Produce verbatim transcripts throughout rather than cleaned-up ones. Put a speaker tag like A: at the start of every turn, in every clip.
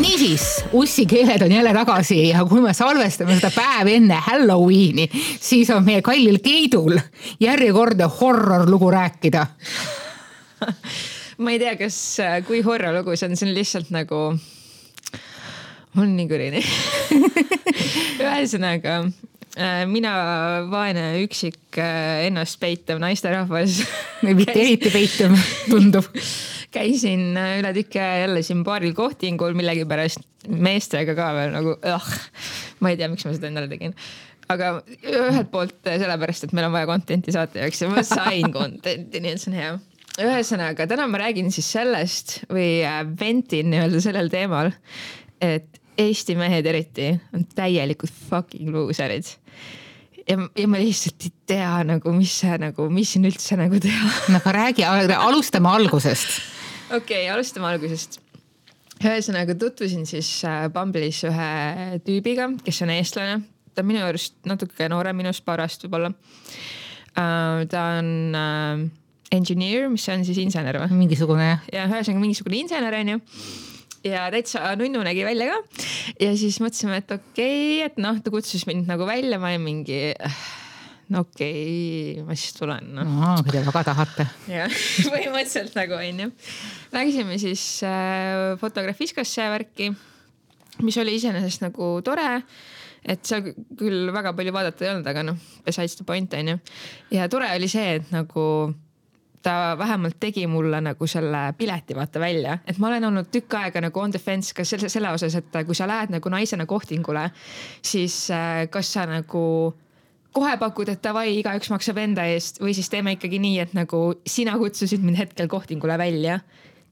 A: niisiis, ussi keeled on jälle tagasi ja kui me salvestame seda päev enne Halloweeni, siis on meie kallil Keidul järjekordne horror lugu rääkida.
B: Ma ei tea, kas, kui horror lugu see on, see on lihtsalt nagu, mul on nii kõrini. Ühesõnaga, mina vaene üksik ennast peitav naisterahvas.
A: Mitte eriti peitav, tundub.
B: Käisin üle tükki jälle siin paaril kohtingul millegi pärast meestega ka veel nagu, ah, ma ei tea, miks ma seda endale tegin. Aga ühelt poolt sellepärast, et meil on vaja contenti saata jaoks ja ma sain contenti, nii et see on hea. Ühesõnaga, täna ma räägin siis sellest või ventin nii-öelda sellel teemal, et Eesti mehed eriti on täielikult fucking loserid. Ja, ja ma lihtsalt ei tea, nagu, mis, see, nagu, mis siin üldse nagu teha.
A: No aga räägi, alustame algusest.
B: Okei, okay, alustame algusest. Ühesõnaga tutvusin siis Bumble'is ühe tüübiga, kes on eestlane. Ta on minu juurest natuke noore minust parast võib-olla. Ta on engineer, mis on siis insener või?
A: Mingisugune.
B: Ja ühesõnaga mingisugune insener on ju. Ja täitsa nunnu nägi välja ka. Ja siis mõtlesime, et okei, okay, et noh, ta kutsus mind nagu välja, ma ei mingi, no okei, okay, ma siis tulen. No,
A: no kui te väga tahate.
B: Ja, põhimõtteliselt nagu on ju. Läksime siis äh, fotografiskasse värki, mis oli iseenesest nagu tore, et seal küll väga palju vaadata ei olnud, aga noh, besides the point on ju. Ja tore oli see, et nagu ta vähemalt tegi mulle nagu selle pileti vaata välja, et ma olen olnud tükk aega nagu on defense ka selle, selle osas, et kui sa lähed nagu naisena kohtingule, siis kas sa nagu kohe pakud, et davai, igaüks maksab enda eest või siis teeme ikkagi nii, et nagu sina kutsusid mind hetkel kohtingule välja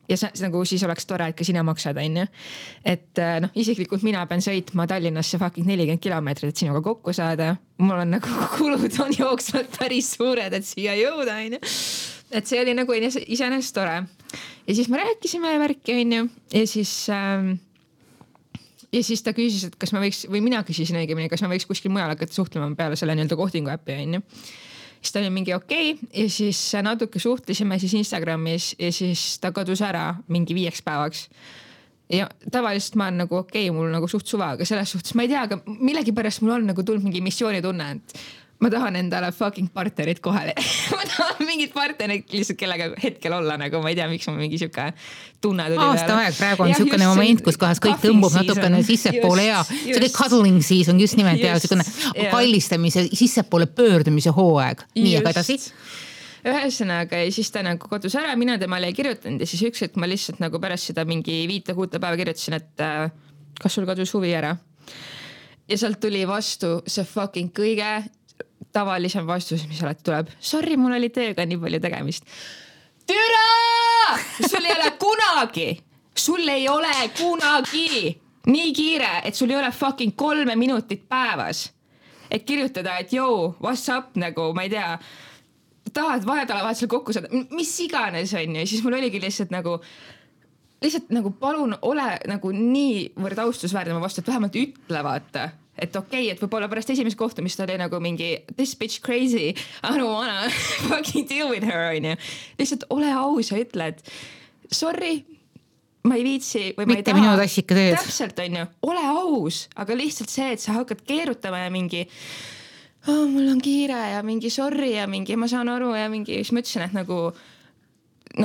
B: ja sa, nagu siis oleks tore, et ka sina maksad, on ju. Et noh, isiklikult mina pean sõitma Tallinnasse fucking nelikümmend kilomeetrit, et sinuga kokku saada. Mul on nagu kulud on jooksvalt päris suured, et siia jõuda, on ju. Et see oli nagu iseenesest tore. Ja siis me rääkisime värki, on ju. Ja siis, ähm, ja siis ta küsis, et kas ma võiks, või mina küsisin õigemini, kas ma võiks kuskil mujal hakata suhtlema peale selle nii-öelda kohtingu äppi, on ju. Siis ta oli mingi okei okay, ja siis natuke suhtlesime siis Instagramis ja siis ta kadus ära mingi viieks päevaks. Ja tavaliselt ma olen nagu okei okay,, mul nagu suht suva, aga selles suhtes ma ei tea, aga millegi pärast mul on nagu tulnud mingi missioonitunne, et ma tahan endale fucking partnerit kohale. Ma tahan mingit partnerit lihtsalt kellega hetkel olla, nagu ma ei tea, miks ma mingi siuke tunne tuli.
A: Aasta aeg, praegu on ja, siukene moment, kus kohas kõik tõmbub natukene sissepoole ja see oli cuddling season just nimelt just, ja siukene yeah. kallistamise, sissepoole pöördumise hooaeg. Nii aga edasi.
B: Ühesõnaga ja siis ta nagu kodus ära, mina temale ei kirjutanud ja siis üks, et ma lihtsalt nagu pärast seda mingi viite kuute päeva kirjutasin, et äh, kas sul kadus huvi ära. Ja sealt tuli vastu see fucking kõige tavalisem vastus, mis alati tuleb. Sorry, mul oli tööga nii palju tegemist. Türa! Sul ei ole kunagi, sul ei ole kunagi nii kiire, et sul ei ole fucking kolme minutit päevas. Et kirjutada, et joo, what's up, nagu, ma ei tea, tahad vahetala vahet seal kokku saada, mis iganes on ju. Ja siis mul oligi lihtsalt nagu, lihtsalt nagu palun ole nagu nii võrd austusväärne ma vastu, et vähemalt ütle vaata. Et okei, okay, et võib-olla pärast esimest kohtumist oli nagu mingi this bitch crazy, I don't wanna fucking deal with her, on ju. Lihtsalt ole aus ja ütle, et sorry, ma ei viitsi või ma
A: mitte
B: ei taha.
A: Minu tassika teed.
B: Täpselt, on ju, ole aus, aga lihtsalt see, et sa hakkad keerutama ja mingi oh, mul on kiire ja mingi sorry ja mingi ma saan aru ja mingi, siis ma ütlesin, et nagu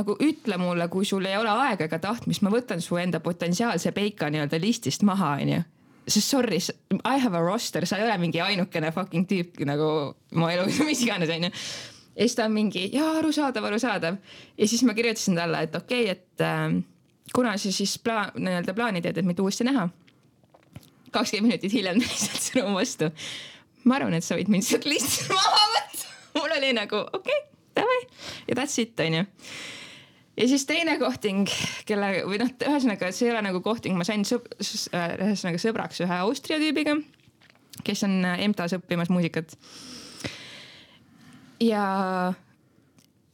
B: nagu ütle mulle, kui sul ei ole aega ega tahtmist, ma võtan su enda potentsiaalse peika nii-öelda listist maha, on ju. Sest sorry, I have a roster, sa ei ole mingi ainukene fucking tüüp nagu ma elus, mis iganes on ju. Ja siis ta on mingi, jaa, arusaadav, arusaadav. Ja siis ma kirjutasin talle, et okei, okay, et äh, kuna sa siis pla-, nii-öelda plaani teed, et meid uuesti näha. kakskümmend minutit hiljem lihtsalt sõnum vastu. Ma arvan, et sa võid mind sealt lihtsalt maha võtta. Mul oli nagu, okei, okay, davai. Ja that's it, on ju. Ja siis teine kohting, kelle, või noh, ühesõnaga, see ei ole nagu kohting, ma sain sõb, ühesõnaga sõbraks ühe Austria tüübiga, kes on M T A-s õppimas muusikat. Ja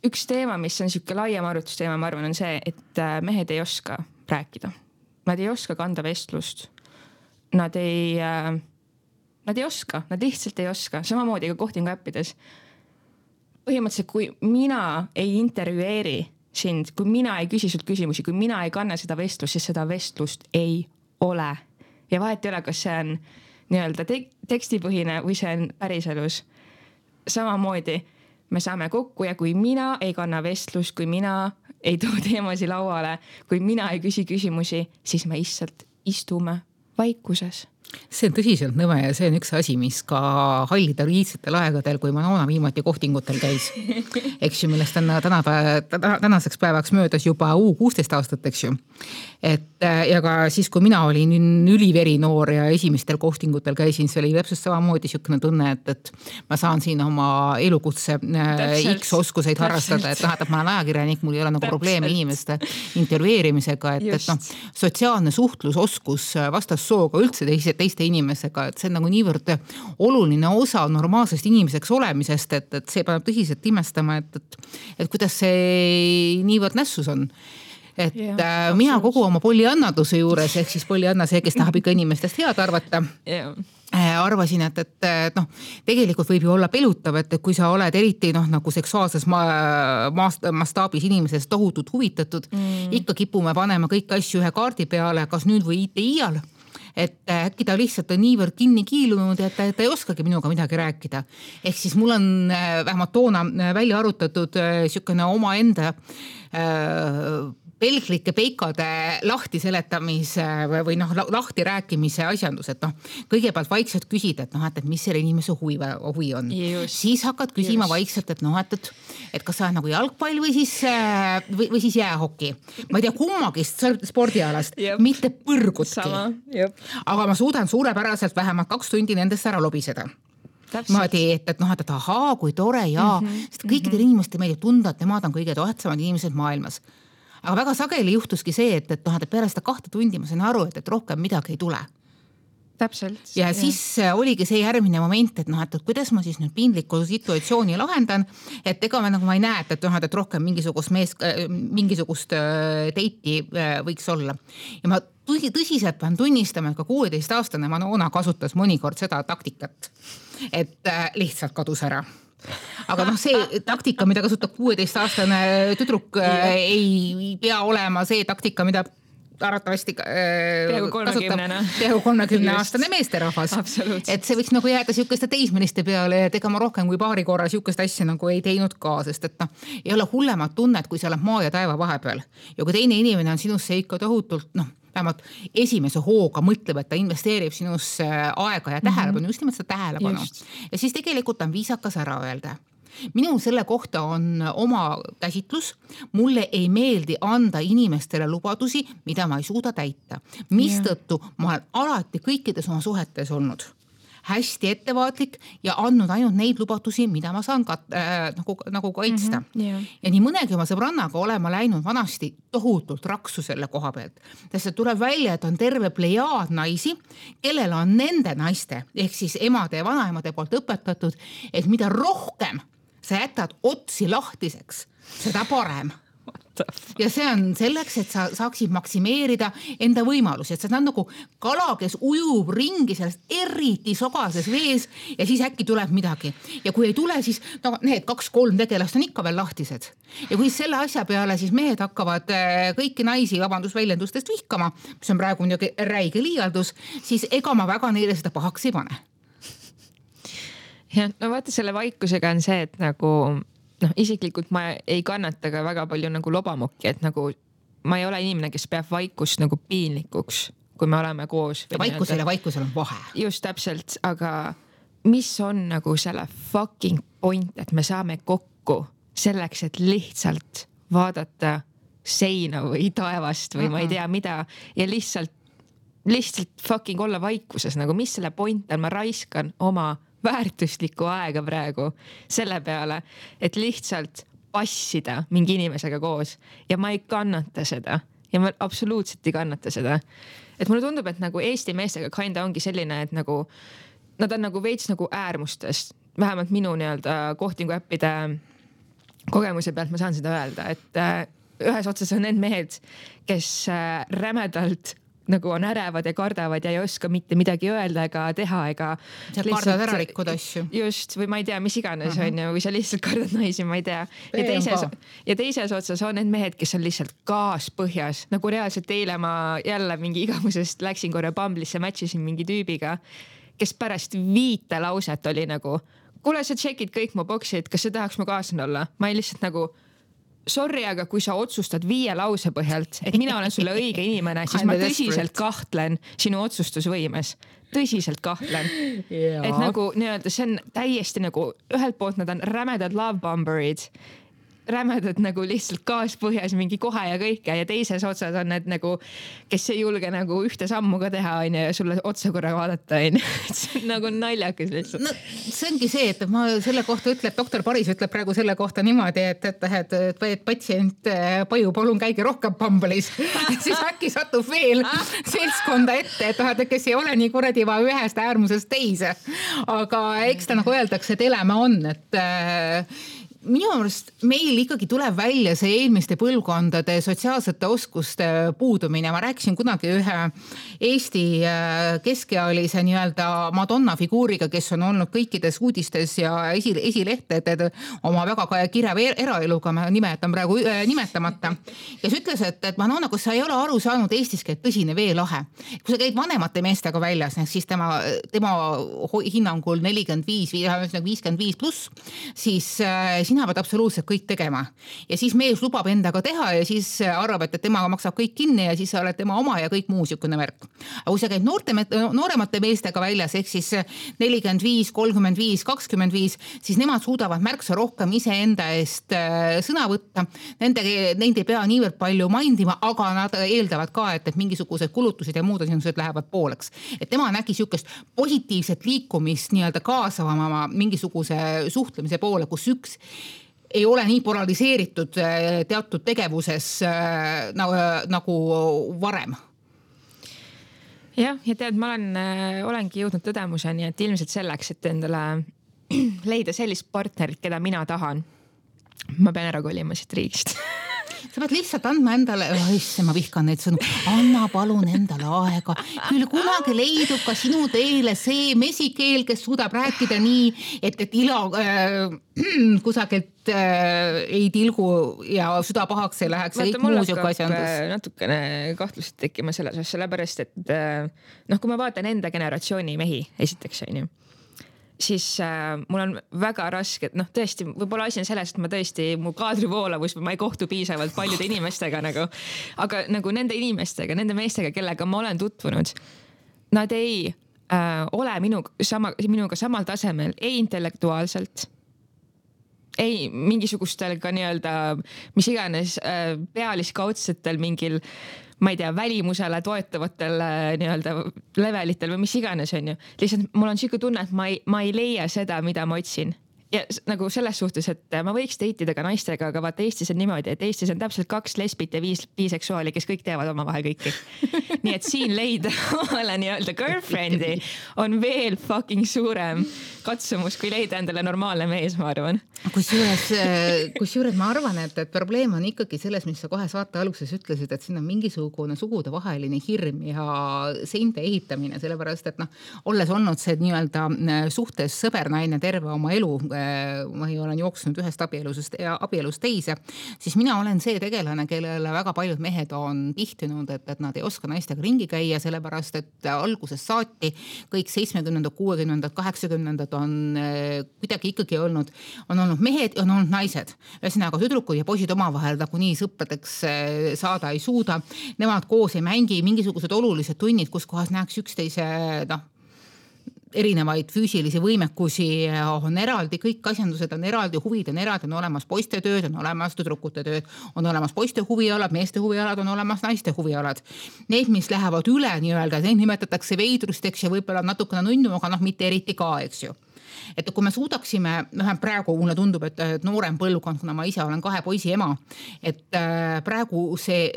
B: üks teema, mis on siuke laiem arvutusteema, ma arvan, on see, et mehed ei oska rääkida. Nad ei oska kanda vestlust. Nad ei, nad ei oska, nad lihtsalt ei oska. Samamoodi ka kohtingu äppides. Põhimõtteliselt, kui mina ei intervjueeri sind, kui mina ei küsi sult küsimusi, kui mina ei kanna seda vestlust, siis seda vestlust ei ole. Ja vahet ei ole, kas see on nii-öelda te- tekstipõhine või see on päriselus. Samamoodi me saame kokku ja kui mina ei kanna vestlust, kui mina ei too teemasi lauale, kui mina ei küsi küsimusi, siis me lihtsalt istume vaikuses.
A: See on tõsiselt nõme ja see on üks asi, mis ka hallidel iidsetel aegadel, kui Manona viimati kohtingutel käis. Eks ju, millest on täna, tänaseks päevaks möödas juba uu kuusteist aastat, eks ju. Et ja ka siis, kui mina olin üliveri noor ja esimestel kohtingutel käisin, see oli täpselt samamoodi niisugune tunne, et, et ma saan siin oma elukutse X oskuseid harrastada, et noh, et ma olen ajakirjanik, mul ei ole nagu probleeme inimeste intervjueerimisega, et, et noh, sotsiaalne suhtlusoskus vastassooga üldse teise, teiste inimesega, et see on nagu niivõrd oluline osa normaalsest inimeseks olemisest, et, et see paneb tõsiselt imestama, et, et, et kuidas see niivõrd nässus on. Et yeah, mina kogu oma polliannaduse juures, ehk siis pollianna see, kes tahab ikka inimestest head arvata, yeah. arvasin, et, et noh, tegelikult võib ju olla pelutav, et kui sa oled eriti noh, nagu seksuaalses ma, mastaabis inimesest tohutult huvitatud, mm. ikka kipume panema kõik asju ühe kaardi peale, kas nüüd või ite iial. Et äkki ta lihtsalt on niivõrd kinni kiilunud, et ta, ta ei oskagi minuga midagi rääkida. Ehk siis mul on vähemalt toona välja arutatud niisugune oma enda äh, pelglike peikade lahti seletamise või noh, lahti rääkimise asjandus, et noh, kõigepealt vaikselt küsid, et noh, et, et mis selle inimese huvi, huvi on. Just. Siis hakkad küsima Just. vaikselt, et noh, et, et, et kas sa on nagu jalgpall või siis, või, või siis jäähoki. Ma ei tea kummagist spordialast, Jep. mitte põrgutki. Aga ma suudan suurepäraselt vähemalt kaks tundi nendest ära lobiseda. Maadi, et, et noh, et ahaa, kui tore ja mm-hmm. sest kõikidel mm-hmm. inimestel meeldib tunda, et nemad on kõige tohetsamad inimesed maailmas. Aga väga sageli juhtuski see, et, et, noh, et peale seda kahte tundi ma sain aru, et, et rohkem midagi ei tule.
B: Täpselt.
A: Ja jah. Siis oligi see järgmine moment, et noh, et, et kuidas ma siis nüüd piinlikku situatsiooni lahendan, et ega ma nagu ma ei näe, et, et, noh, et rohkem mingisugust, mees, mingisugust teiti võiks olla. Ja ma tõsi, tõsiselt pean tunnistama, et ka kuueteist aastane Manona kasutas mõnikord seda taktikat, et lihtsalt kadus ära. Aga noh, see taktika, mida kasutab kuueteist aastane tüdruk, ei pea olema see taktika, mida arvatavasti
B: peaaegu
A: kolmekümne aastane meesterahvas. Et see võiks nagu jääda siukeste teismeliste peale, et ega ma rohkem kui paari korra siukest asja nagu ei teinud ka, sest et noh, ei ole hullemat tunnet, kui sa oled maa ja taeva vahepeal. Ja kui teine inimene on sinusse ikka tohutult, noh, vähemalt esimese hooga mõtleb, et ta investeerib sinusse aega ja tähelepanu, just nimelt seda tähelepanu. Just. Ja siis tegelikult on viisakas ära öelda. Minul selle kohta on oma käsitlus. Mulle ei meeldi anda inimestele lubadusi, mida ma ei suuda täita. Mistõttu ma olen alati kõikides oma suhetes olnud hästi ettevaatlik ja andnud ainult neid lubadusi, mida ma saan kat-, äh, nagu, nagu kaitsta. Mm-hmm, yeah. Ja nii mõnegi oma sõbrannaga olema läinud vanasti tohutult raksu selle koha pealt. Sest tuleb välja, et on terve plejaad naisi, kellel on nende naiste, ehk siis emade ja vanaemade poolt õpetatud, et mida rohkem sa jätad otsi lahtiseks, seda parem. Ja see on selleks, et sa saaksid maksimeerida enda võimalusi, et sa on nagu kala, kes ujub ringi sellest eriti sogases vees ja siis äkki tuleb midagi. Ja kui ei tule, siis no, need kaks-kolm tegelast on ikka veel lahtised. Ja kui selle asja peale siis mehed hakkavad kõiki naisi vabandusväljendustest vihkama, mis on praegu räige liialdus, siis ega ma väga neile seda pahaks ei pane.
B: Ja, no vaata selle vaikusega on see, et nagu noh, isiklikult ma ei kannata ka väga palju nagu lobamokki, et nagu ma ei ole inimene, kes peab vaikust nagu piinlikuks, kui me oleme koos.
A: Ja vaikusel ja vaikusel on vahe.
B: Just täpselt, aga mis on nagu selle fucking point, et me saame kokku selleks, et lihtsalt vaadata seina või taevast või uh-huh. ma ei tea mida ja lihtsalt, lihtsalt fucking olla vaikuses, nagu mis selle point on, ma raiskan oma väärtuslikku aega praegu selle peale, et lihtsalt passida mingi inimesega koos ja ma ei kannata seda ja ma absoluutselt ei kannata seda. Et mulle tundub, et nagu Eesti meestega kinda ongi selline, et nagu nad on nagu veits nagu äärmustest, vähemalt minu nii-öelda kohtingu äppide kogemuse pealt ma saan seda öelda, et ühes otsas on need mehed, kes rämedalt nagu on ärevad ja kardavad ja ei oska mitte midagi öelda ega teha ega.
A: sa kardad ära rikkuda asju.
B: Just, või ma ei tea, mis iganes uh-huh. on ju, või sa lihtsalt kardad naisi, ma ei tea. Ja teises, ja teises otsas on need mehed, kes on lihtsalt kaaspõhjas, nagu reaalselt eile ma jälle mingi igamusest läksin korra Bumble'isse, matchisin mingi tüübiga, kes pärast viite lauset oli nagu, kuule, sa tšekid kõik mu boksid, kas sa tahaks mu kaaslane olla? Ma ei lihtsalt nagu, sorry, aga kui sa otsustad viie lause põhjalt, et mina olen sulle õige inimene, siis ma tõsiselt kahtlen sinu otsustusvõimes. Tõsiselt kahtlen. Yeah. Et nagu nii-öelda, see on täiesti nagu, ühelt poolt nad on rämedad love bomberid, rämedad nagu lihtsalt kaaspõhjas mingi kohe ja kõike ja teises otsas on need nagu, kes ei julge nagu ühte sammu ka teha on ja sulle otsa korra vaadata on. See on nagu naljakas lihtsalt.
A: No, see ongi see, et ma selle kohta ütleb, doktor Paris ütleb praegu selle kohta niimoodi, et, et, et, et, et patsient Paju, palun käige rohkem Bumble'is. Siis äkki satub veel seltskonda ette, et, et kes ei ole nii kuradi va ühest äärmusest teise. Aga eks ta nagu öeldakse, et eleme on, et minu arust meil ikkagi tuleb välja see eelmiste põlvkondade sotsiaalsete oskuste puudumine. Ma rääkisin kunagi ühe Eesti keskealise nii-öelda Madonna figuuriga, kes on olnud kõikides uudistes ja esi, esilehteded oma väga kirev eraeluga, ma nimetan praegu nimetamata. Kes ütles, et, et Madonna, kus sa ei ole aru saanud Eestis käib tõsine veelahe. Kui sa käid vanemate meestega väljas, siis tema, tema hinnangul nelikümmend viis, viiskümmend viis pluss, siis sina pead absoluutselt kõik tegema. Ja siis mees lubab endaga teha ja siis arvab, et temaga maksab kõik kinni ja siis sa oled tema oma ja kõik muu sükune värk. Aga kui sa käid noorte, nooremate meestega väljas, ehk siis nelikümmend viis, kolmkümmend viis, kakskümmend viis, siis nemad suudavad märksa rohkem ise enda eest sõna võtta. Nende, nende ei pea niivõrd palju mindima, aga nad eeldavad ka, et, et mingisugused kulutused ja muud asjandused lähevad pooleks. Et tema nägi sükest positiivset liikumist nii-öelda kaasavama mingisuguse suhtlemise poole, kus üks ei ole nii polariseeritud teatud tegevuses nagu, nagu varem.
B: Jah, ja tead, ma olen, olengi jõudnud tõdemuseni, et ilmselt selleks, et endale leida sellist partnerit, keda mina tahan, ma pean ära kolima siit riigist.
A: Sa pead lihtsalt andma endale, isse, ma vihkan neid sõnu, anna palun endale aega. Küll kunagi leidub ka sinu teele see mesikeel, kes suudab rääkida nii, et, et ila äh, kusagilt äh, ei tilgu ja süda pahaks ei läheks.
B: Vaata, mul hakkab natukene kahtlused tekkima selles asja, sellepärast, et äh, noh, kui ma vaatan enda generatsiooni mehi, esiteks on ju, siis äh, mul on väga raske, et noh, tõesti, võib-olla asi on selles, et ma tõesti, mu kaadrivoolavus, ma ei kohtu piisavalt paljude inimestega nagu, aga nagu nende inimestega, nende meestega, kellega ma olen tutvunud, nad ei äh, ole minu, sama, minuga samal tasemel, ei intellektuaalselt, ei mingisugustel ka nii-öelda, mis iganes äh, pealiskaudsetel mingil, ma ei tea, välimusele toetavatel nii-öelda levelitel või mis iganes on ju. Lihtsalt mul on siuke tunne, et ma ei, ma ei leia seda, mida ma otsin. Ja nagu selles suhtes, et ma võiks deitida ka naistega, aga vaata Eestis on niimoodi, et Eestis on täpselt kaks lesbit ja viis biseksuaali, kes kõik teavad omavahel kõiki. Nii et siin leida omale nii-öelda girlfriend'i on veel fucking suurem katsumus, kui leida endale normaalne mees, ma arvan.
A: Kusjuures, kusjuures ma arvan, et, et probleem on ikkagi selles, mis sa kohe saate alguses ütlesid, et siin on mingisugune sugude vaheline hirm ja seinte ehitamine, sellepärast, et noh, olles olnud see nii-öelda suhtes sõbernaine terve oma elu, ma ei olen jooksnud ühest abielust, abielust teise, siis mina olen see tegelane, kellele väga paljud mehed on tihtinud, et, et nad ei oska naistega ringi käia, sellepärast, et algusest saati kõik seitsmekümnendad, kuuekümnendad, kaheksakümnendad on kuidagi ikkagi olnud, on olnud mehed ja on olnud naised. Ühesõnaga tüdrukud ja poisid omavahel nagu nii sõpradeks saada ei suuda. Nemad koos ei mängi mingisugused olulised tunnid, kus kohas näeks üksteise, noh, erinevaid füüsilisi võimekusi on eraldi, kõik asjandused on eraldi, huvid on eraldi, on olemas poiste tööd, on olemas tüdrukute tööd, on olemas poiste huvialad, meeste huvialad, on olemas naiste huvialad. Need, mis lähevad üle nii-öelda, neid nimetatakse veidrusteks ja võib-olla natukene nunnu, aga noh, mitte eriti ka, eks ju. Et kui me suudaksime, praegu mulle tundub, et noorem põlvkond, kuna ma ise olen kahe poisi ema, et praegu see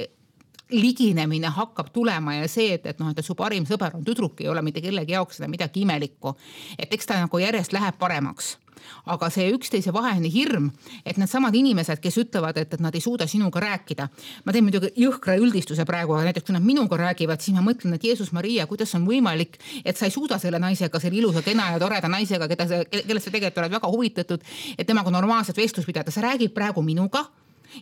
A: liginemine hakkab tulema ja see, et, et noh, et su parim sõber on tüdruk, ei ole mitte kellegi jaoks seda midagi imelikku. Et eks ta nagu järjest läheb paremaks. Aga see üksteise vaheline hirm, et need samad inimesed, kes ütlevad, et, et nad ei suuda sinuga rääkida. Ma teen muidugi jõhkra üldistuse praegu, aga näiteks kui nad minuga räägivad, siis ma mõtlen, et Jeesus Maria, kuidas on võimalik, et sa ei suuda selle naisega, selle ilusa, kena ja toreda naisega, keda sa, kellest sa tegelikult oled väga huvitatud, et temaga normaalset vestlust pidada. Sa räägid praegu minuga.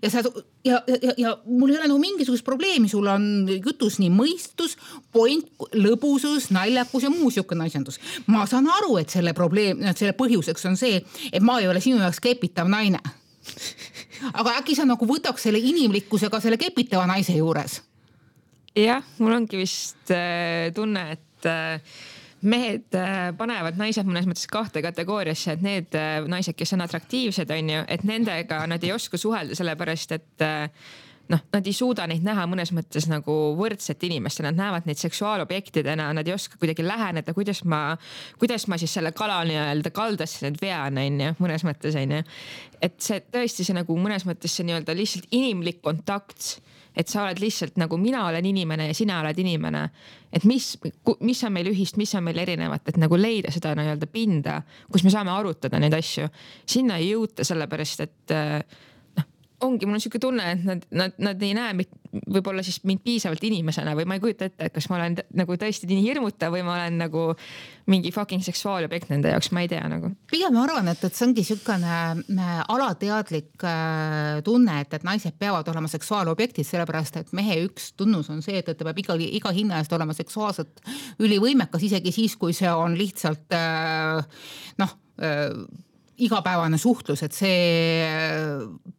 A: Ja, sa, ja, ja, ja mul ei ole nagu mingisugust probleemi, sul on jutus nii mõistus, point, lõbusus, naljakus ja muu siukene asjandus. Ma saan aru, et selle probleem, selle põhjuseks on see, et ma ei ole sinu jaoks kepitav naine. Aga äkki sa nagu võtaks selle inimlikkusega selle kepitava naise juures?
B: Jah, mul ongi vist äh, tunne, et äh, mehed panevad naised mõnes mõttes kahte kategooriasse, et need naised, kes on atraktiivsed, on ju, et nendega nad ei oska suhelda sellepärast, et noh, nad ei suuda neid näha mõnes mõttes nagu võrdset inimest, nad näevad neid seksuaalobjektidena, nad ei oska kuidagi läheneda, kuidas ma, kuidas ma siis selle kala nii-öelda kaldasse need vean, on ju, mõnes mõttes, on ju. Et see tõesti see nagu mõnes mõttes see nii-öelda lihtsalt inimlik kontakt, et sa oled lihtsalt nagu mina olen inimene ja sina oled inimene, et mis, mis on meil ühist, mis on meil erinevat, et nagu leida seda nii-öelda pinda, kus me saame arutada neid asju. Sinna ei jõuta sellepärast, et noh, ongi, mul on siuke tunne, et nad, nad, nad ei näe võib-olla siis mind piisavalt inimesena või ma ei kujuta ette, et kas ma olen nagu tõesti nii hirmutav või ma olen nagu mingi fucking seksuaalobjekt nende jaoks, ma ei tea nagu.
A: Pigem arvan, et, et see ongi siukene alateadlik tunne, et, et naised peavad olema seksuaalobjektid, sellepärast, et mehe üks tunnus on see, et, et ta peab iga, iga hinna eest olema seksuaalselt ülivõimekas, isegi siis, kui see on lihtsalt noh, igapäevane suhtlus, et see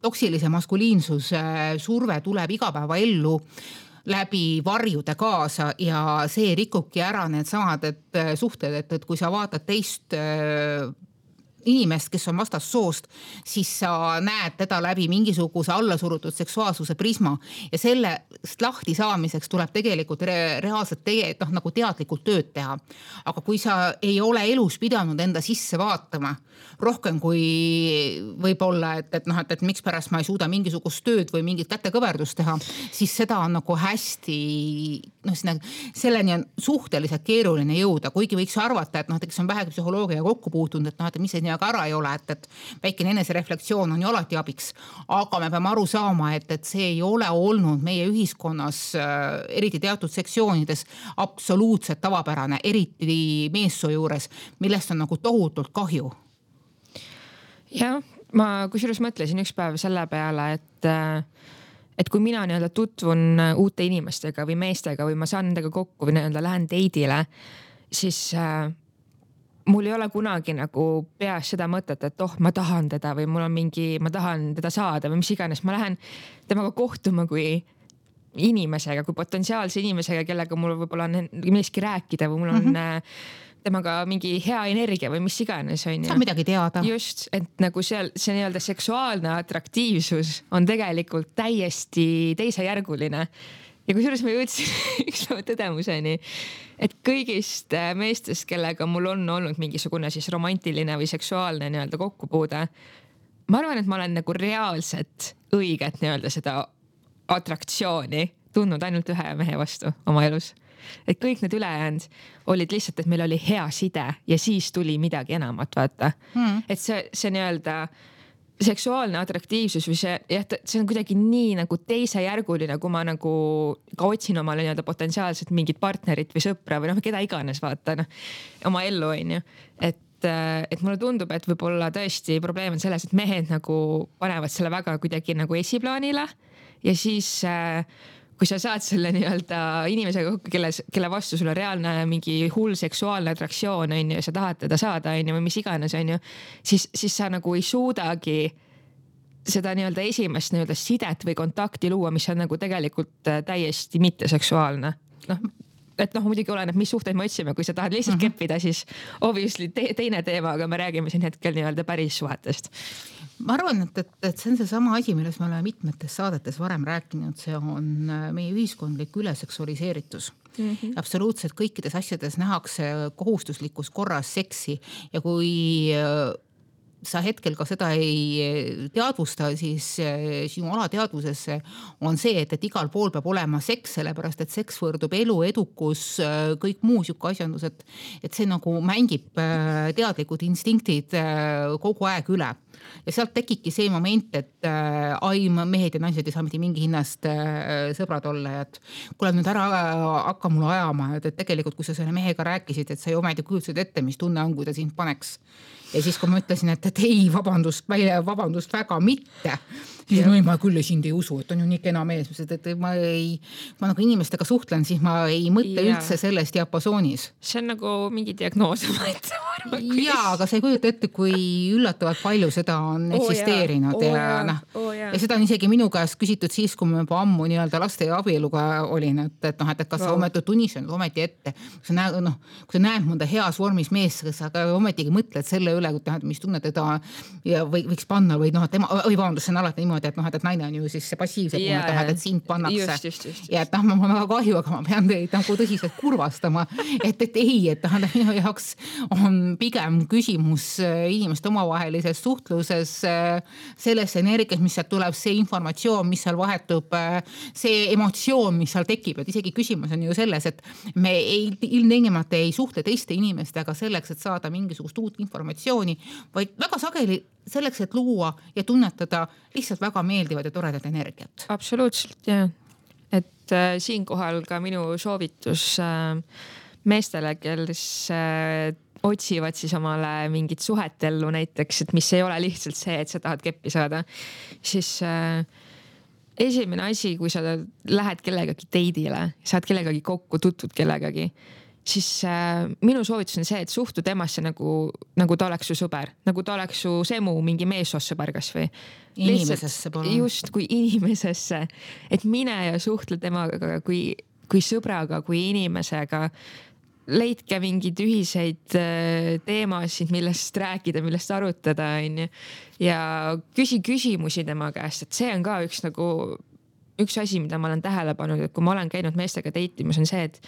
A: toksilise maskuliinsuse surve tuleb igapäeva ellu läbi varjude kaasa ja see rikubki ära need samad et suhted, et, et kui sa vaatad teist inimest, kes on vastast soost, siis sa näed teda läbi mingisuguse allasurutud seksuaalsuse prisma ja sellest lahti saamiseks tuleb tegelikult re reaalselt tege, noh, nagu teadlikult tööd teha. Aga kui sa ei ole elus pidanud enda sisse vaatama rohkem kui võib-olla, et, et noh, et, et miks pärast ma ei suuda mingisugust tööd või mingit kätekõverdust teha, siis seda on nagu hästi, noh, selleni on suhteliselt keeruline jõuda, kuigi võiks arvata, et noh, et kes on vähegi psühholoogia kokku puutunud, et noh, et mis see nii aga ära ei ole, et, et väikene enesereflektsioon on ju alati abiks, aga me peame aru saama, et, et see ei ole olnud meie ühiskonnas, eriti teatud sektsioonides, absoluutselt tavapärane, eriti meessoo juures, millest on nagu tohutult kahju.
B: Jah, ma kusjuures mõtlesin üks päev selle peale, et et kui mina nii-öelda tutvun uute inimestega või meestega või ma saan nendega kokku või nii-öelda lähen teidile, siis äh, mul ei ole kunagi nagu peas seda mõtet, et oh, ma tahan teda või mul on mingi, ma tahan teda saada või mis iganes. Ma lähen temaga kohtuma kui inimesega, kui potentsiaalse inimesega, kellega mul võib-olla on millestki rääkida või mul on mm-hmm. temaga mingi hea energia või mis iganes on ju.
A: Saab midagi teada.
B: Just, et nagu seal see nii-öelda seksuaalne atraktiivsus on tegelikult täiesti teisejärguline. Ja kusjuures ma jõudsin üks päeva tõdemuseni, et kõigist meestest, kellega mul on olnud mingisugune siis romantiline või seksuaalne nii-öelda kokkupuude, ma arvan, et ma olen nagu reaalselt õiget nii-öelda seda atraktsiooni tundnud ainult ühe mehe vastu oma elus. Et kõik need ülejäänud olid lihtsalt, et meil oli hea side ja siis tuli midagi enamat, vaata. Hmm. Et see, see nii-öelda seksuaalne atraktiivsus või see, jah, see on kuidagi nii nagu teisejärguline, kui ma nagu ka otsin omale nii-öelda potentsiaalselt mingit partnerit või sõpra või noh, keda iganes vaata, noh, oma ellu on ju. Et, et mulle tundub, et võib-olla tõesti probleem on selles, et mehed nagu panevad selle väga kuidagi nagu esiplaanile ja siis äh, kui sa saad selle nii-öelda inimesega kokku, kelle, kelle vastu sul on reaalne mingi hull seksuaalne atraktsioon on ju, ja sa tahad teda saada on ju, või mis iganes on ju, siis, siis sa nagu ei suudagi seda nii-öelda esimest nii-öelda sidet või kontakti luua, mis on nagu tegelikult täiesti mitteseksuaalne. Noh, et noh, muidugi oleneb, mis suhteid me otsime, kui sa tahad lihtsalt mm-hmm. keppida, siis obviously te teine teema, aga me räägime siin hetkel nii-öelda päris suhetest.
A: Ma arvan, et, et, et see on see sama asi, milles me oleme mitmetes saadetes varem rääkinud, see on meie ühiskondlik üleseksualiseeritus. Mm-hmm. Absoluutselt kõikides asjades nähakse kohustuslikus korras seksi ja kui sa hetkel ka seda ei teadvusta, siis sinu alateadvusesse on see, et, et igal pool peab olema seks, sellepärast et seks võrdub elu, edukus, kõik muu siuke asjandus, et, et see nagu mängib teadlikud instinktid kogu aeg üle. Ja sealt tekibki see moment, et ai, mehed ja naised ei saa mitte mingi hinnast sõbrad olla, et kuule nüüd ära hakka mulle ajama, et, et tegelikult kui sa selle mehega rääkisid, et sa ju ometi kujutasid ette, mis tunne on, kui ta sind paneks. Ja siis, kui ma ütlesin, et, et ei, vabandust, vabandust väga mitte, siis no ei, ma küll sind ei usu, et on ju nii kena mees, et, et ma ei, ma nagu inimestega suhtlen, siis ma ei mõtle ja. üldse sellest diapasoonis.
B: See on nagu mingi diagnoos.
A: Jaa, aga sa ei kujuta ette, kui üllatavalt palju seda on oh, eksisteerinud oh, ja, ja, noh, oh, ja. ja seda on isegi minu käest küsitud siis, kui ma juba ammu nii-öelda laste ja abieluga olin, et, et noh, et, et kas wow. sa ometi tunnistanud ometi ette, kui sa näed, noh, kui sa näed mõnda heas vormis mees, kas sa ometigi mõtled selle üle, mis tunne teda ja või, võiks panna või noh, et tema, või vabandust, see on alati niimoodi, et noh, et naine on ju siis see passiivse yeah, tunne, et, et sind pannakse.
B: Just, just, just, just.
A: Ja et noh, ma olen väga kahju, aga ma pean teid nagu tõsiselt kurvastama, et, et ei, et noh, minu jaoks on pigem küsimus inimeste omavahelises suhtluses, selles energias, mis sealt tuleb, see informatsioon, mis seal vahetub, see emotsioon, mis seal tekib, et isegi küsimus on ju selles, et me ei, ilmtingimata ei suhtle teiste inimestega selleks, et saada mingisugust uut informatsiooni, vaid väga sageli selleks, et luua ja tunnetada lihtsalt väga meeldivad ja toredat energiat.
B: Absoluutselt, jah. Et äh, siinkohal ka minu soovitus äh, meestele, kes äh, otsivad siis omale mingit suhetellu näiteks, et mis ei ole lihtsalt see, et sa tahad keppi saada, siis äh, esimene asi, kui sa lähed kellegagi teidile, saad kellegagi kokku, tutvud kellegagi, siis äh, minu soovitus on see, et suhtu temasse nagu, nagu ta oleks su sõber, nagu ta oleks su semu mingi meessoossõber kas või.
A: Inimesesse pole.
B: Just kui inimesesse, et mine ja suhtle temaga kui, kui sõbraga, kui inimesega. Leidke mingid ühiseid äh, teemasid, millest rääkida, millest arutada on ju. Ja küsi küsimusi tema käest, et see on ka üks, nagu, üks asi, mida ma olen tähele pannud, et kui ma olen käinud meestega teitimas, on see, et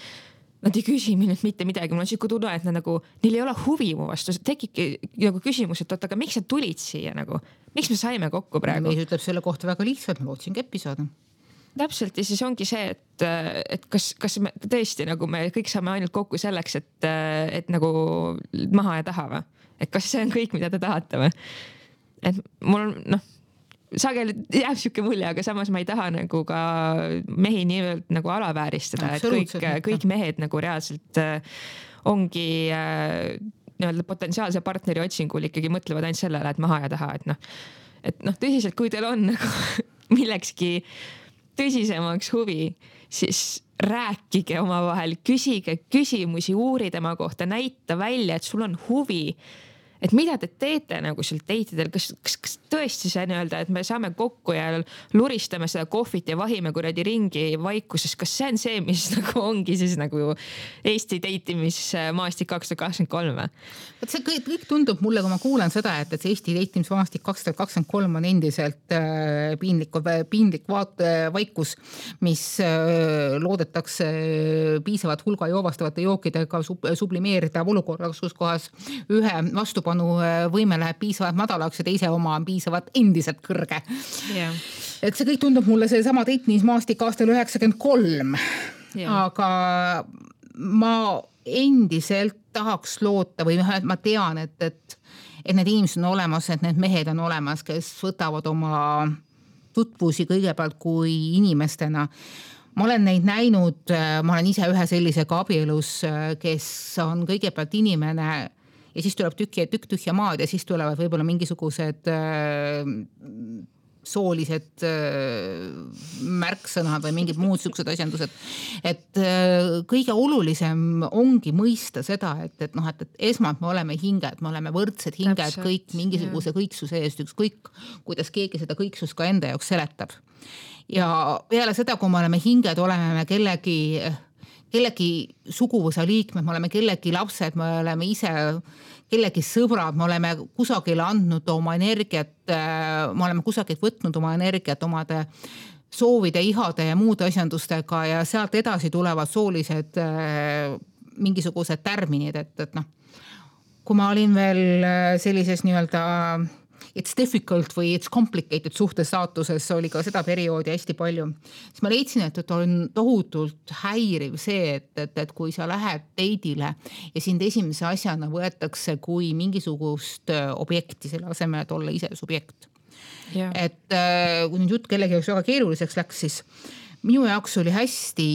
B: nad ei küsi minult mitte midagi, mul on siuke tunne, et nad nagu, neil ei ole huvi mu vastu, tekibki nagu küsimus, et oot, aga miks sa tulid siia nagu, miks me saime kokku praegu?
A: Mees ütleb selle kohta väga lihtsalt, ma lootsin keppi saada.
B: Täpselt ja siis ongi see, et, et kas, kas me tõesti nagu me kõik saame ainult kokku selleks, et, et nagu maha ja taha või? Et kas see on kõik, mida te tahate või? Et mul on, noh, sageli jääb siuke mulje, aga samas ma ei taha nagu ka mehi nii-öelda nagu alavääristada, et kõik, kõik mehed nagu reaalselt ongi nii-öelda potentsiaalse partneri otsingul ikkagi mõtlevad ainult sellele, et maha ja taha, et noh, et noh, tõsiselt, kui teil on nagu millekski tõsisemaks huvi, siis rääkige omavahel, küsige küsimusi, uuri tema kohta, näita välja, et sul on huvi. Et mida te teete nagu seal teitidel, kas, kas, kas tõesti see nii-öelda, et me saame kokku ja luristame seda kohvit ja vahime kuradi ringi vaikuses, kas see on see, mis nagu ongi siis nagu Eesti teitimismaastik kaks tuhat kakskümmend kolm?
A: Et see kõik, kõik tundub mulle, kui ma kuulen seda, et, et see Eesti teitimismaastik kaks tuhat kakskümmend kolm on endiselt äh, piinlik, piinlik vaat, vaikus, mis äh, loodetakse piisavat hulga joovastavate jookidega sub, sublimeerida olukorras, kus kohas ühe vastu võime läheb piisavalt madalaks ja teise oma on piisavalt endiselt kõrge. Yeah. Et see kõik tundub mulle see sama teitimismaastik aastal üheksakümmend kolm. Yeah. Aga ma endiselt tahaks loota või ma tean, et, et, et need inimesed on olemas, et need mehed on olemas, kes võtavad oma tutvusi kõigepealt kui inimestena. Ma olen neid näinud, ma olen ise ühe sellisega abielus, kes on kõigepealt inimene ja siis tuleb tükk ja tükk tühja maad ja siis tulevad võib-olla mingisugused äh, soolised äh, märksõnad või mingid muud suksed asjandused. Et äh, kõige olulisem ongi mõista seda, et, et, noh, et, et esmalt me oleme hinged, me oleme võrdsed hinged, Täpselt, kõik mingisuguse kõiksuse eest, ükskõik kuidas keegi seda kõiksust ka enda jaoks seletab. Ja peale seda, kui me oleme hinged, oleme me kellegi kellegi suguvõsa liikmed, me oleme kellegi lapsed, me oleme ise kellegi sõbrad, me oleme kusagile andnud oma energiat, me oleme kusagilt võtnud oma energiat omade soovide, ihade ja muude asjandustega ja sealt edasi tulevad soolised mingisugused tärminid, et, et noh, kui ma olin veel sellises nii-öelda it's difficult või it's complicated suhtesaatuses, oli ka seda perioodi hästi palju. Siis ma leidsin, et, et on tohutult häiriv see, et, et, et kui sa lähed date'ile ja sind esimese asjana võetakse kui mingisugust objekti selle asemel, et olla ise subjekt. Yeah. Et kui nüüd jutt kellegi jaoks väga keeruliseks läks, siis minu jaoks oli hästi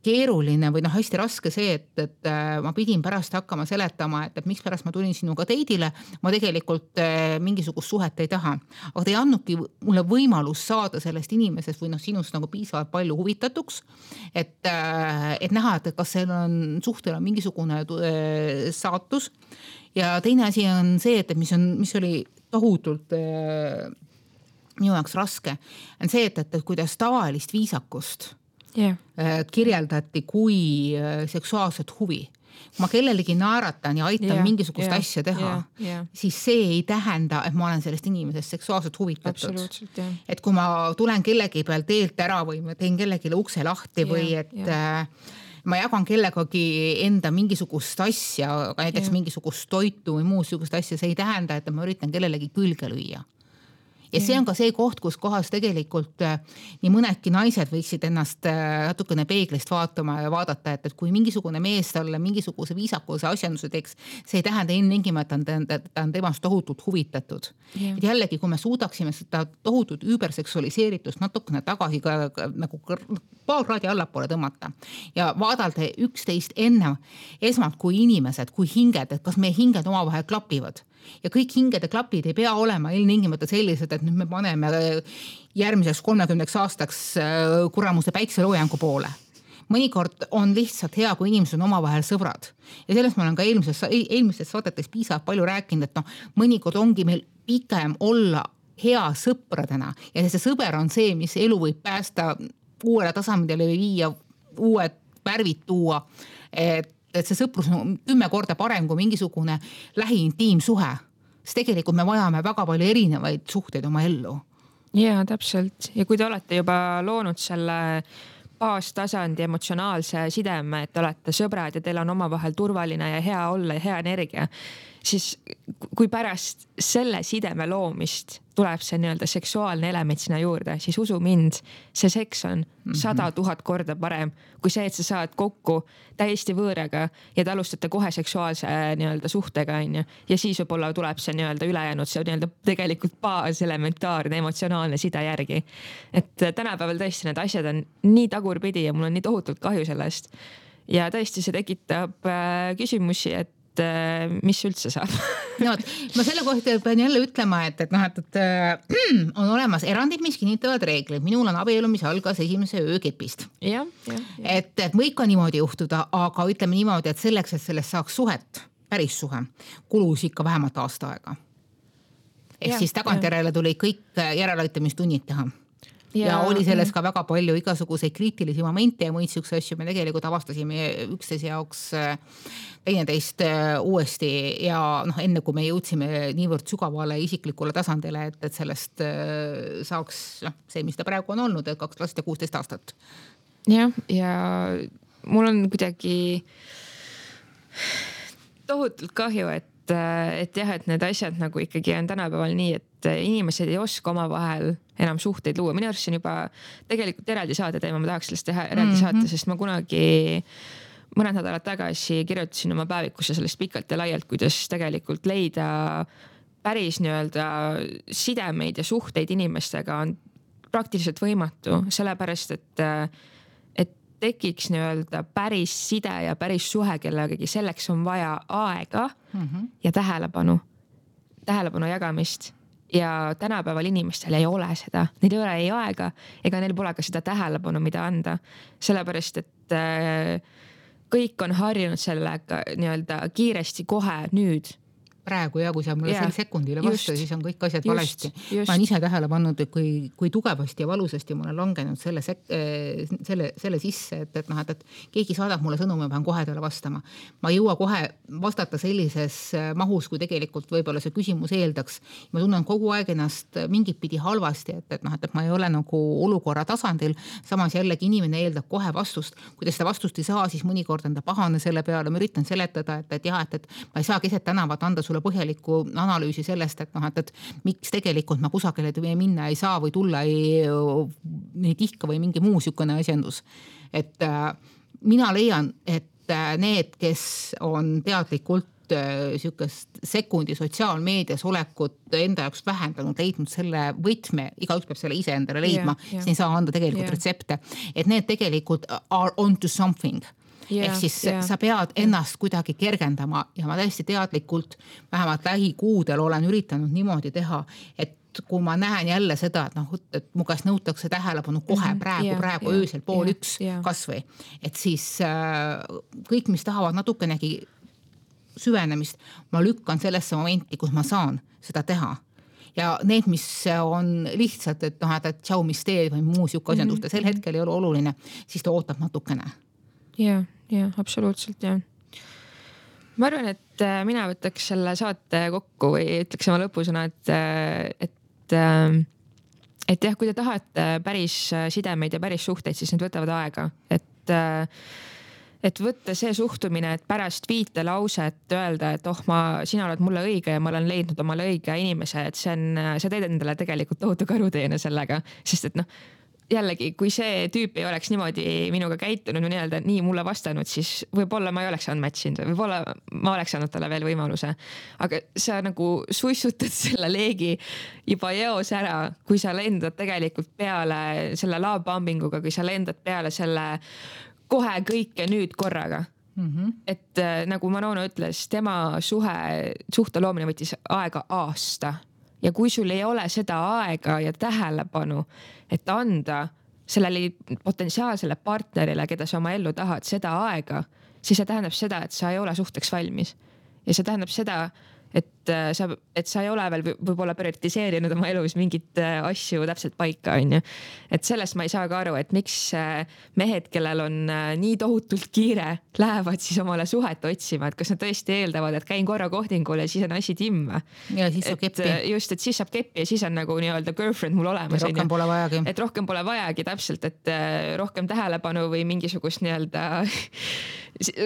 A: keeruline või noh, hästi raske see, et, et ma pidin pärast hakkama seletama, et, et miks pärast ma tulin sinuga date'ile, ma tegelikult mingisugust suhet ei taha. Aga ta ei andnudki mulle võimalus saada sellest inimesest või noh, sinust nagu piisavalt palju huvitatuks, et, et näha, et kas seal on suhtel on mingisugune saatus. Ja teine asi on see, et mis, on, mis oli tohutult minu jaoks raske, on see, et, et kuidas tavalist viisakust yeah. kirjeldati kui seksuaalset huvi. Kui ma kellelegi naeratan ja aitan yeah. mingisugust yeah. asja teha, yeah. Yeah. siis see ei tähenda, et ma olen sellest inimesest seksuaalselt huvitatud. Yeah. Et kui ma tulen kellegi peal teelt ära või ma teen kellegile ukse lahti yeah. või et yeah. ma jagan kellegagi enda mingisugust asja, aga näiteks yeah. mingisugust toitu või muus sugust asja, see ei tähenda, et ma üritan kellelegi külge lüüa. Ja see on ka see koht, kus kohas tegelikult nii mõnedki naised võiksid ennast natukene peeglist vaatama ja vaadata, et, et kui mingisugune mees talle mingisuguse viisakuse asjanduse teeks, see ei tähenda ennengima, et ta on, ta on temast tohutult huvitatud. Yeah. Et jällegi, kui me suudaksime seda tohutut üüberseksualiseeritust natukene tagasi ka, ka, nagu paar kraadi allapoole tõmmata ja vaadalda üksteist enne esmalt kui inimesed, kui hinged, et kas meie hinged omavahel klapivad. Ja kõik hingede klapid ei pea olema ilmtingimata sellised, et nüüd me paneme järgmiseks kolmekümneks aastaks kuramuse päikseloojangu poole. Mõnikord on lihtsalt hea, kui inimesed on omavahel sõbrad. Ja sellest ma olen ka eelmises, eelmises saadetes piisavalt palju rääkinud, et noh, mõnikord ongi meil pikem olla hea sõpradena ja see sõber on see, mis elu võib päästa uuele tasemele või viia uued värvid tuua, et et see sõprus on kümme korda parem kui mingisugune lähiintiimsuhe. Sest tegelikult me vajame väga palju erinevaid suhteid oma ellu.
B: Jaa, täpselt. Ja kui te olete juba loonud selle baastasandi emotsionaalse sideme, et te olete sõbrad ja teil on omavahel turvaline ja hea olla ja hea energia, siis kui pärast selle sideme loomist tuleb see nii-öelda seksuaalne element sinna juurde, siis usu mind, see seks on sada tuhat korda parem kui see, et sa saad kokku täiesti võõraga ja te alustate kohe seksuaalse nii-öelda suhtega, on ju. Ja siis võib-olla tuleb see nii-öelda ülejäänud, see nii-öelda tegelikult baaselementaarne emotsionaalne side järgi. Et tänapäeval tõesti need asjad on nii tagurpidi ja mul on nii tohutult kahju sellest. Ja tõesti see tekitab küsimusi, et mis üldse saab.
A: No, ma selle kohta pean jälle ütlema, et, et, noh, et, et on olemas erandid, mis kinnitavad reeglid. Minul on abielu, mis algas esimese öökepist.
B: Ja, ja, ja.
A: Et, et võib ka niimoodi juhtuda, aga ütleme niimoodi, et selleks, et sellest saaks suhet, päris suhe, kulus ikka vähemalt aasta aega. Ehk ja, siis tagantjärele tuli kõik järeleaitamistunnid teha. Ja, ja oli selles ka väga palju igasuguseid kriitilisi momente ja muid sükse asju. Me tegelikult avastasime üksteise jaoks teineteist uuesti ja noh, enne kui me jõudsime niivõrd sügavale isiklikule tasandile, et, et sellest saaks noh, see, mis ta praegu on olnud, et kaks last ja kuusteist aastat.
B: Ja, ja mul on kuidagi tohutult kahju, et et jah, et need asjad nagu ikkagi on tänapäeval nii, et inimesed ei oska oma vahel enam suhteid luua. Minu arust on juba tegelikult eraldi saade teema, ma tahaks sellest teha eraldi mm-hmm. saate, sest ma kunagi mõned nädalad tagasi kirjutasin oma päevikusse sellest pikalt ja laialt, kuidas tegelikult leida päris nii-öelda sidemeid ja suhteid inimestega on praktiliselt võimatu, sellepärast, et tekiks nii-öelda päris side ja päris suhe kellegagi, selleks on vaja aega mm-hmm. ja tähelepanu, tähelepanu jagamist. Ja tänapäeval inimestel ei ole seda. Neil ei ole ei aega ega neil pole ka seda tähelepanu, mida anda. Sellepärast, et kõik on harjunud sellega nii-öelda kiiresti kohe nüüd
A: praegu ja kui sa mulle
B: yeah.
A: sel sekundile vastu, siis on kõik asjad
B: just,
A: valesti.
B: Just.
A: Ma olen ise tähele pannud, kui, kui tugevasti ja valusasti ma olen langenud selle, sek- selle, selle sisse, et, et, noh, et, et keegi saadab mulle sõnumi, ma pean kohe talle vastama. Ma ei jõua kohe vastata sellises mahus, kui tegelikult võib-olla see küsimus eeldaks. Ma tunnen kogu aeg ennast mingit pidi halvasti, et, et, noh, et ma ei ole nagu olukorra tasandil. Samas jällegi inimene eeldab kohe vastust. Kui ta seda vastust ei saa, siis mõnikord on ta pahane selle peale. Ma üritan seletada, et, et jah, et, et ma ei saa keset tänavat anda sulle põhjalikku analüüsi sellest, et, noh, et, et miks tegelikult ma kusagile minna ei saa või tulla ei, ei tihka või mingi muu sükene asjandus. Et äh, mina leian, et äh, need, kes on teadlikult äh, sükest sekundi sotsiaalmeedias olekut enda jaoks vähendanud, leidnud selle võtme, igaüks peab selle ise endale leidma, yeah, yeah. siis ei saa anda tegelikult yeah. retsepte. Et need tegelikult are on to something. Yeah, ehk siis yeah. sa pead ennast kuidagi kergendama ja ma täiesti teadlikult vähemalt lähikuudel olen üritanud niimoodi teha, et kui ma näen jälle seda, et noh, et mu käest nõutakse tähelepanu kohe praegu, yeah, praegu yeah, öösel pool yeah, üks yeah. kasvõi, et siis äh, kõik, mis tahavad natukenegi süvenemist, ma lükkan sellesse momenti, kus ma saan seda teha. Ja need, mis on lihtsalt, et noh, et tšau, mis teed või muu siuke asjandust, sel hetkel ei ole oluline, siis ta ootab natukene.
B: Jah, jah, absoluutselt, jah. Ma arvan, et mina võtaks selle saate kokku või ütleks oma lõpusõna, et, et, et jah, kui te tahate päris sidemeid ja päris suhteid, siis need võtavad aega. Et, et võtta see suhtumine, et pärast viite lauset öelda, et oh, ma, sina oled mulle õige ja ma olen leidnud omale õige inimese, et see on, sa teed endale tegelikult tohutu karuteene sellega, sest et noh, jällegi, kui see tüüp ei oleks niimoodi minuga käitunud või nii-öelda nii mulle vastanud, siis võib-olla ma ei oleks saanud matchinud või võib-olla ma oleks saanud talle veel võimaluse. Aga sa nagu suissutad selle leegi juba eos ära, kui sa lendad tegelikult peale selle love-bombinguga, kui sa lendad peale selle kohe kõike nüüd korraga. Mm-hmm. Et nagu Manona ütles, tema suhe, suhte loomine võttis aega aasta. Ja kui sul ei ole seda aega ja tähelepanu, et anda sellele potentsiaalsele partnerile, keda sa oma ellu tahad, seda aega, siis see tähendab seda, et sa ei ole suhteks valmis. Ja see tähendab seda, et sa, et sa ei ole veel võib-olla prioritiseerinud oma elus mingit asju täpselt paika, on ju. Et sellest ma ei saa ka aru, et miks mehed, kellel on nii tohutult kiire, lähevad siis omale suhet otsima, et kas nad tõesti eeldavad, et käin korra kohtingul ja siis on asi timma.
A: Ja siis saab keppi.
B: Just, et siis saab keppi ja siis on nagu nii-öelda girlfriend mul olemas.
A: Ja rohkem pole vajagi.
B: Et rohkem pole vajagi täpselt, et rohkem tähelepanu või mingisugust nii-öelda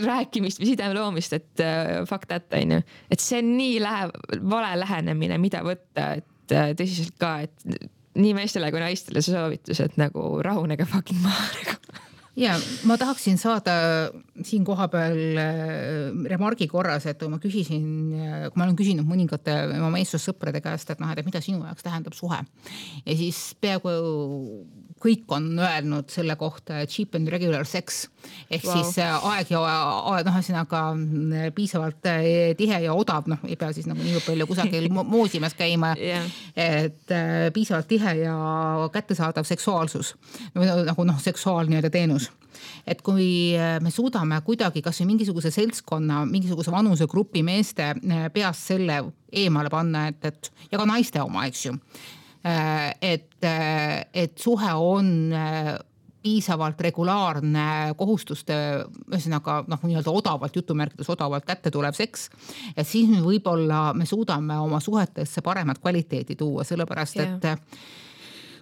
B: rääkimist või sideme loomist, et fuck that, on ju. Et see on nii läheb, vale lähenemine, mida võtta, et tõsiselt ka, et nii meestele kui naistele see soovitus, et nagu rahunege fucking maha.
A: Ja ma tahaksin saada siin koha peal remargi korras, et kui ma küsisin, kui ma olen küsinud mõningate oma meessussõprade käest, et noh, et mida sinu jaoks tähendab suhe. Ja siis peaaegu kõik on öelnud selle kohta cheap and regular sex. Ehk wow. siis aeg ja aeg, noh, ühesõnaga piisavalt tihe ja odav, noh, ei pea siis nagu nii palju kusagil moosimas käima, yeah. et piisavalt tihe ja kättesaadav seksuaalsus. Nagu noh, seksuaalne teenus. Et kui me suudame kuidagi kas või mingisuguse seltskonna, mingisuguse vanusegrupi meeste peast selle eemale panna, et, et ja ka naiste oma, eks ju. Et, et suhe on piisavalt regulaarne kohustuste, ühesõnaga noh, nii-öelda odavalt, jutumärkides odavalt kätte tulev seks, et siis me võib-olla me suudame oma suhetesse paremat kvaliteedi tuua, sellepärast yeah. et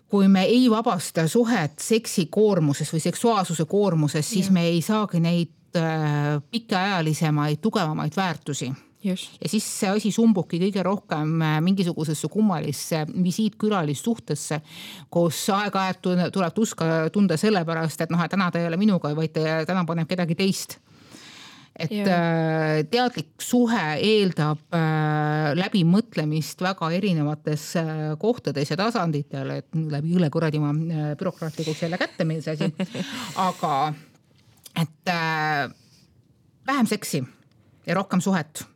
A: kui me ei vabasta suhet seksi koormuses või seksuaalsuse koormuses, siis yeah. me ei saagi neid pikaajalisemaid, tugevamaid väärtusi. Just. Ja siis see asi sumbuki kõige rohkem mingisugusesse kummalisse visiitkülalissuhtesse, kus aeg-ajad tuleb tuska tunda sellepärast, et noh, et täna ta ei ole minuga, vaid täna paneb kedagi teist. Et yeah. teadlik suhe eeldab läbimõtlemist väga erinevates kohtades ja tasanditel, et läbi üle kuradi ma bürokraatlikuks jälle kätte meil see asi. Aga et vähem seksi ja rohkem suhet.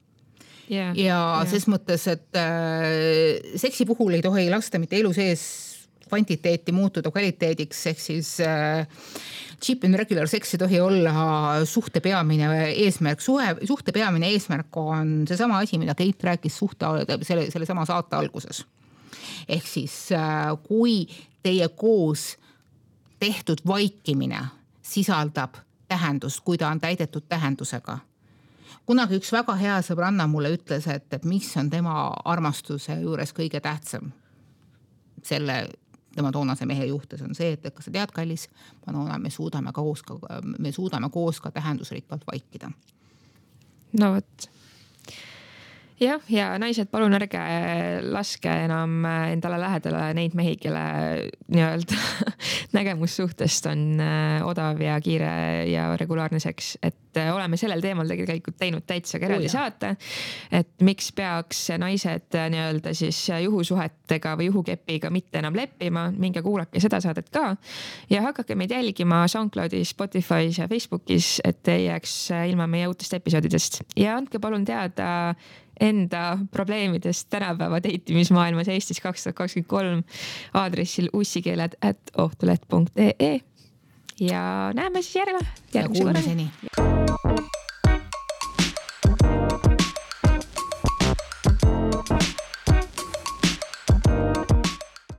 A: Yeah, ja yeah. ses mõttes, et äh, seksi puhul ei tohi lasta mitte elu sees kvantiteeti muutuda kvaliteediks, ehk siis äh, cheap and regular sex ei tohi olla suhte peamine eesmärk. Suhe, suhte peamine eesmärk on seesama asi, mida Keit rääkis suhte selle, selle sama saate alguses. Ehk siis äh, kui teie koos tehtud vaikimine sisaldab tähendust, kui ta on täidetud tähendusega. Kunagi üks väga hea sõbranna mulle ütles, et, et mis on tema armastuse juures kõige tähtsam selle tema toonase mehe juhtes on see, et kas sa tead, kallis, Manona, me suudame koos ka, me suudame koos ka tähendusrikkalt vaikida.
B: No võt. Jah, ja naised, palun ärge laske enam endale lähedale neid mehi, kelle nii-öelda nägemussuhtest on odav ja kiire ja regulaarne seks. Et oleme sellel teemal tegelikult teinud täitsa eraldi saate, et miks peaks naised nii-öelda siis juhusuhetega või juhukepiga mitte enam leppima, minge kuulake seda saadet ka ja hakake meid jälgima SoundCloudis, Spotify's ja Facebookis, et ei jääks ilma meie uutest episoodidest ja andke palun teada enda probleemidest tänapäeva deitimismaailmas Eestis kaks tuhat kakskümmend kolm aadressil ussikeeled at ohtulet punkt ee ja näeme siis järjele.
A: Ja kuulmiseni.